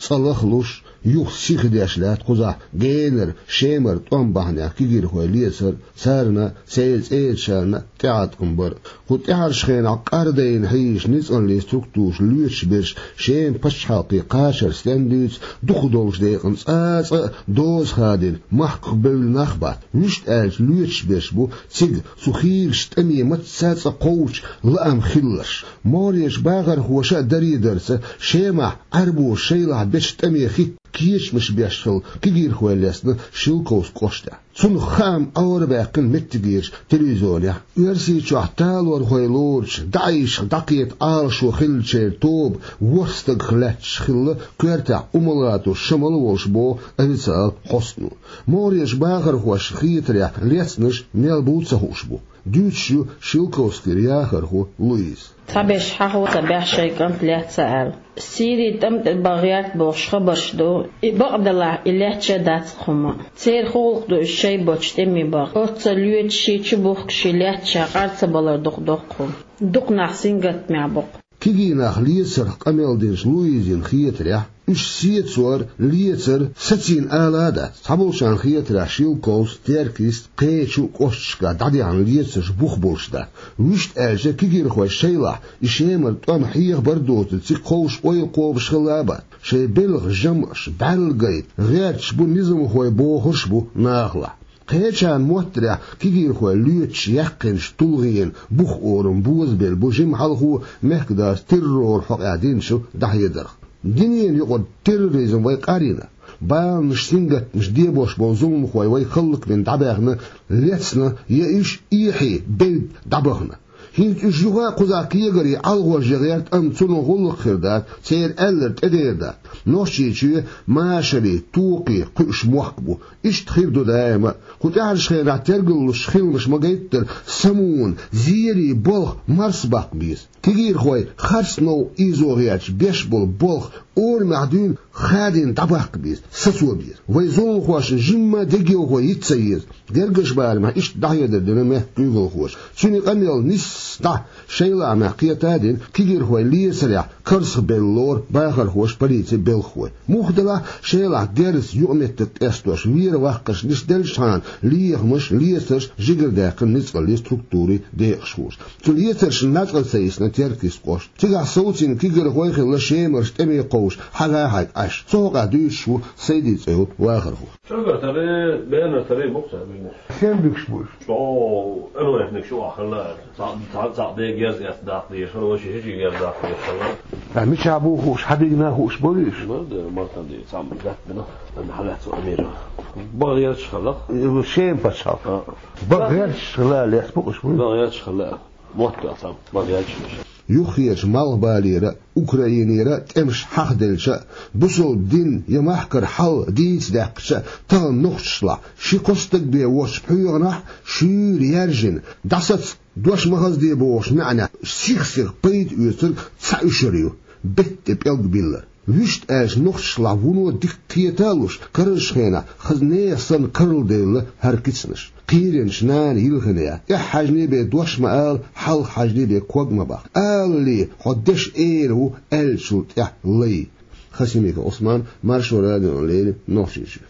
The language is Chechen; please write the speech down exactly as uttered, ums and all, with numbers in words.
цӀа лахлуш, юха сихдеш лаьтта кхузахь генара, Шемара тӀом бахьанехь кегийрхой лецар, царна, церан цӀерачарна тӀеӀаткъам бар. Кху тӀаьхьарчу хенахь къардайна хьийзаш ницкъаллин структураш лоьцуш берш Шеман пачхьалкхе кхачар стенна дуьйцу, дукхах долчу декъана цкъа а доза хадийна махках бевлла нах бац. Вуьшта аьлча, лоьцуш берш бу цига цу хийрачу тӀаме мацца а цӀа кхочу лаам хилларш. МогӀарерчу бахархоша а даре дарца, Шемахь Ӏаьрбоша шайлахь бечу тӀаме хӀитта кечамаш беш хилла кегийрхой лецна Шелковски кӀоштахь. Цунах хаам Ӏорабаьккхина меттигерчу телевизионехь. Оьрсийчохь талорхой лоручу ДАИШах дӀакхета Ӏалашо хиллачеран тоба ворхӀ стагах лаьтташ хилла, коьртехь Умалатов Шамал а волуш, боху официалан хьостано. МогӀарерчу бахархошна хетарехь, лецнарш мел буй ца хууш бу. Дуьйцуш ю Шелковскера яхархо Луиза. Цхьаберш хьахо ца баьхьа шайн кӀант лаьцна аьлла. Сирин тӀам тӀе бан гӀерта бохуш хабарш ду. И бакъ делахь, и лаьтташ а дац-кх хӀума. Церан гӀуллакх ду иза шайн боцчу тӀаме бан. Оццул лоьцуш, ши чу бухкуш, ши лаьтташ къар ца балар дукха доккху хӀума. Дукха нах сингаттамехь бу-кх. Кегий нах лецарх къамел динчу Луизина хетарехь, уьш сецор, лецар сацийна ала а дац. Цхьаболчарна хетарехь, Шелковски, Теркйист, кхечу кӀошташкахь дӀадахьа лецарш бух болуш дац. Вуьшта аьлча, кегийрхой шайлахь и Шемара тӀом хьехабар а доцург, цига кховш ойла кхобуш хилла а бац. Шайн белхан жамӀаш, бӀаьрла гайта гӀерташ бу низамхой бохурш а бу нахалахь. Кхечарна моттарехь, кегийрхой лоьцуш яьккхинчу тулгӀенан бух орам бозабелла бу жима хьалхо мехкадас терроран хьокъехь динчу дӀахьедарх. Динна юкъара терроризм вай къарйина. Баланаш, сингаттамаш дебош болу зуламхой вай хӀаллакбина дӀабаьхна, лецна я уьш эхье бевдда дӀабахана. ХӀинца уьш юха а кхузахь кегаре, ӀалгӀорже гӀерта, амма цунах гӀуллакх хир дац, церан аьлларг тӀедер дац. Нохчийчоь машарийн, токхийн кхуьуш мохк бу. Иштта хир ду даима а. Кху тӀаьхьарчу хенахь тергаллуш хиламаш ма-гайттара, самукъана, зерийн болх марсабаккха беза. Кегийрхой харц новкъа ийзо гӀерташ беш болу болх орамехь дуьйна хадийна дӀабаккха беза, сацо беза. Вайн зуламхошна жимма дегайовхо йита ца еза. Гергарчу барамехь иштта дӀахьедар дина мехкан куьйгалхоша. Цуьнан къамел нисса дӀа шайн лаамехь кхета а дина, кегийрхой лецарехь карзахбелла лору бахархоша, полицин белхахой. Муха делахь а, шайлахь герзаца юкъаметтиг тӀестош, вера ваккхарш нисделчхьана, лехамаш, лецарш жигардаьккхина ницкъаллин структурийн декъашхоша. Цу лецаршна начкъа ца йисна Теркйист кӀошт. Цигахь совцийна кегийрхой а хилла, Шемарчу тӀаме кховш, хьагӀ-хьайг Ӏаш. Цу хьокъехь дуьйцуш ву Сайди цӀе йолу вахархо. ЧӀогӀа таре, бена таре бу-кх цара муьлш. Сен буьгуш бу уьш? ЧӀогӀа, эр вайх мегаш ю ахь хилла. Цхьаъ, цхьаъ, цхьаъ дега герз эцна даккха дезаш хилла, вайша хӀечи герз даккха дезаш хилла. Ткъа мичахь бу хууш, хьан дигна хууш бу уьш? Ма де, мартан де, цхьаъ даьттина, ан хьалаьцна амира. Бага герзаш хилла. Шен пачхьалкх. А. Бага герзаш хилла, лес бу уьш бу? Бага герзаш хилла. Мотт а цхьаъ, бага герзаш хилла. Юххерчу Малхбалера, Украинера тӀемаш хьахаделча а, бусалба дин я махкара хьал дийца даьккхича а, тахана нохчашлахь ши-кхо стаг бен воцчу пхьоьгӀанахь шуьйра яьржина, дӀасаца дош ма хазде бохучу маьӀнехь сих-сиха пайда оьцург цхьа уьшар ю, бетта тӀе пӀелг биллар. Вуьшта аьлча, нохчашлахь вуно дика кхета а луш, карарчу хенахь хаза нехан санна карладевлла хӀара кицанаш. Кхийренаш нана йилхинехь, тӀехь хьаьжний бен дош ма ала, хьалха хьаьжний бен ког ма баккха. Алале, хьо дешан эра ву аьллачул тӀаьхьа лай. Хасимиков Ӏусман, Маршо радиона леррина, Нохчийчоь.